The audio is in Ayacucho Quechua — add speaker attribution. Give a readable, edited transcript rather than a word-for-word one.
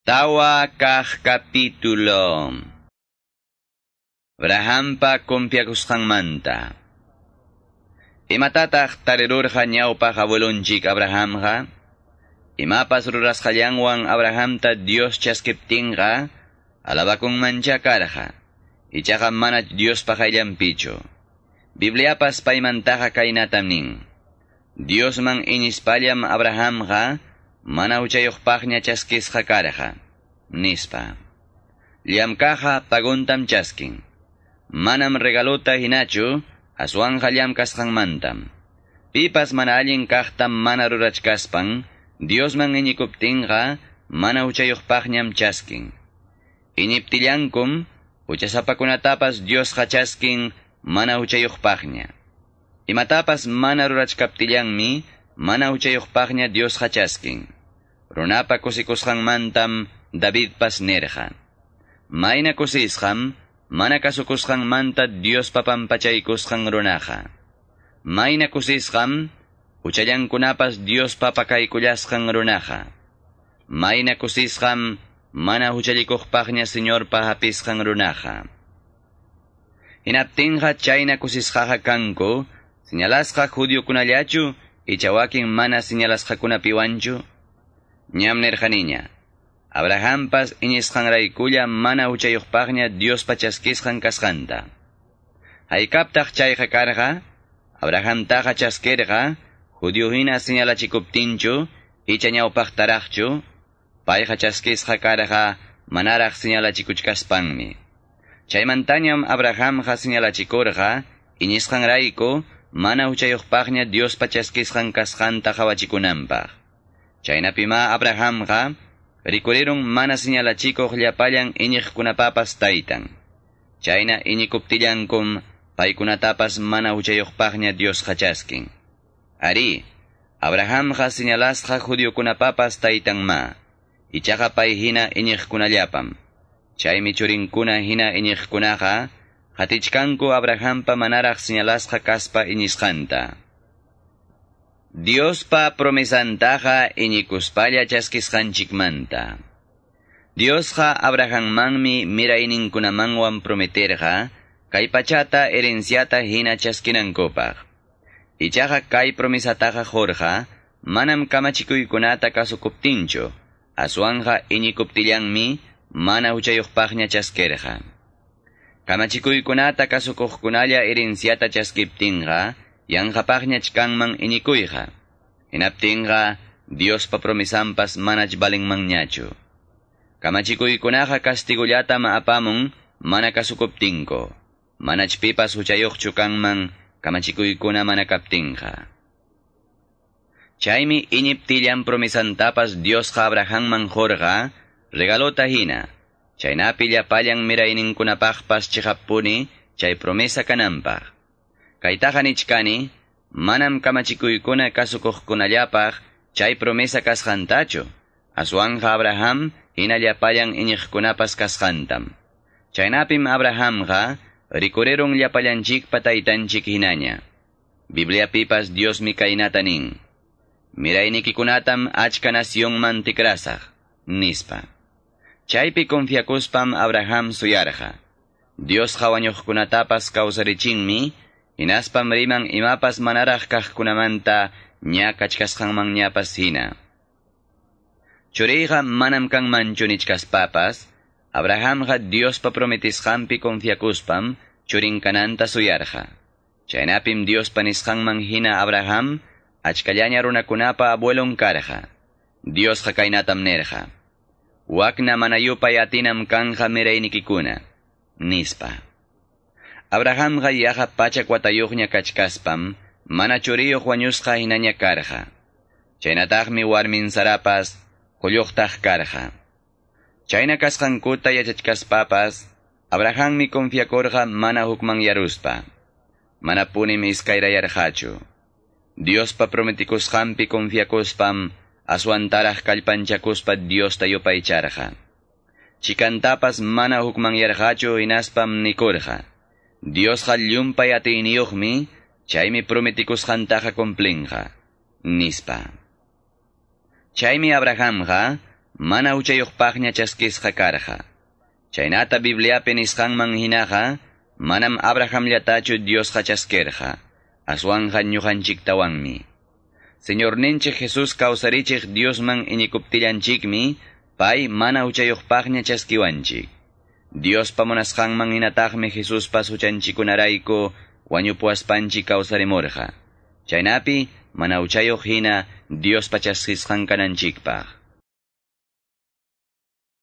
Speaker 1: 4 kaq capítulo. Abrahampa confiakusqanmanta. Imatataq tarirurqa ñawpaq abuelonchik Abrahamqa? Imapas rurasqallanwan Abrahamta Dios chaskiptinqa, alabakunmancha karqa. Ichaqa mana Diospa qayllanpichu. Bibliapas paymantaqa kaynatam nin. Diosman iñispallam Abrahamqa mana huchayuqpaqña chaskisqa karqa, nispa. Llamkaqqa paguntam chaskin. Manam regalota hinachu, aswanqa llamkasqanmantam. Pipas mana allin kaqtam mana rurachkaspan, Diosman iñikuptinqa mana huchayuqpaqñam chaskin. Iñiptillankum, huchasapakunatapas Diosqa chaskin mana huchayuqpaqña. Imatapas mana rurachkaptillanmi, mana huchayuqpaqña Diosqa chaskin. Runapa kusikusqanmantam Davidpas nirqa. Mayna kusisqam, mana kasukusqanmanta Diospa pampachaykusqan runaqa. Mayna kusisqam, huchallankunapas Diospa pakaykullasqan runaqa. Mayna kusisqam, mana huchallikuqpaqña Señorpa hapisqan runaqa. Hinaptinqa chayna kusisqaqa kanku, señalasqa judiokunallachu, icha wakin mana señalasqakunapiwanchu? Ñam nirqaniña. Abrahampas iñisqanraykulla mana huchayuqpaqña Diospa chaskisqan kasqanta. Haykaptaq chayqa karqa? Abrahamtaqa chaskirqa, judío hina señalachikuptinchu, icha ñawpaqtaraqchu, payqa chaskisqa karqa manaraq señalachikuchkaspanmi. Chaymantañam Abrahamqa señalachikurqa, iñisqanrayku, mana huchayuqpaqña Diospa chaskisqan kasqanta qawachikunanpaq. Chaynapima Abrahamqa rikurirun mana señalachikuq llapallan iñiqkunapapas taytan. Chayna iñikuptillankum paykunatapas mana huchayuqpaqña Diosqa chaskin. Ari, Abrahamqa señalasqa judiokunapapas taytanma. Ichaqa pay hina iñiqkunallapam. Chaymi churinkuna hina iñiqkunaqa qatichkanku Abrahampa manaraq señalasqa kaspa iñisqanta. Diospa promesantaqa iñikuspalla chaskisqanchikmanta. Diosqa Abrahammanmi mirayninkunamanwan prometerqa kay pachata herenciata hina chaskinankupaq. Ichaqa kay promesataqa qurqa manam kamachikuykunata kasukuptinchu, aswanqa iñikuptillanmi mana huchayuqpaqña chaskirqa. Kamachikuykunata kasukuqkunalla herenciata chaskiptinqa, yanqapaqñach kanman iñikuyqa. Hinaptinqa Diospa promesanpas manach valinmanñachu. Kamachikuykunaqa castigullatam apamun mana kasukuptinku. Manach pipas huchayuqchu kanman kamachikuykuna mana kaptinqa. Chaymi iñiptillan promesantapas Diosqa Abrahamman qurqa regalota hina. Chaynapi llapallan mirayninkunapaqpas chiqapuni chay promesa kananpaq. Kaytaqa nichkani, manam kamachikuykuna kasukuqkunallapaq chay promesa kasqantachu, aswanqa Abraham hina llapallan iñiqkunapas kasqantam. Chaynapim Abrahamqa rikurirun llapallanchikpa taytanchik hinaña. Bibliapipas Diosmi kaynata nin. Miraynikikunatam achka nacionman tikrasaq, nispa. Chaypi confiakuspam Abraham suyarqa. Diosqa wañuqkunatapas kawsarichinmi, hinaspam riman imapas manaraq kaqkunamanta ña kachkasqanmanñapas hina. Churiyqa manam kanmanchu nichkaspapas, Abrahamqa Diospa prometisqanpi confiakuspam churin kananta suyarqa. Chaynapim Diospa nisqanman hina Abraham achkallaña runakunapa abuelon karqa. Diosqa kaynatam nirqa. Wakna mana yupay atinam kanja miraynikikuna, nispa. Abrahamqa yaqa 100 watayuqña kachkaspam, mana churiyuq wañusqa hinaña karqa. Chaynataqmi warmin Sarapas qulluqtaq karqa. Chayna kasqankuta yachachkaspapas, Abrahammi confiakurqa mana hukmanyaruspa. Manapunim iskayrayarqachu. Diospa prometikusqanpi confiakuspam, aswantaraq kallpanchakuspa Diosta yupaycharqa. Chikantapas mana hukmanyarqachu hinaspam nikurqa. Diosqa llumpay atiyniyuqmi, chaymi prometikusqantaqa cumplinqa, nispa. Chaymi Abrahamqa mana huchayuqpaqña chaskisqa karqa. Chaynata Bibliapi nisqanman hinaqa, manam Abrahamllatachu Diosqa chaskirqa, aswanqa ñuqanchiktawanmi. Señorninchik Jesús kawsarichiq Diosman iñikuptillanchikmi, pay mana huchayuqpaqña chaskiwanchik. Diospa munasqanman hinataqmi Jesuspas huchanchikunarayku wañupuwaspanchik kawsarimurqa. Chaynapi mana huchayuq hina Diospa chaskisqan kananchikpaq.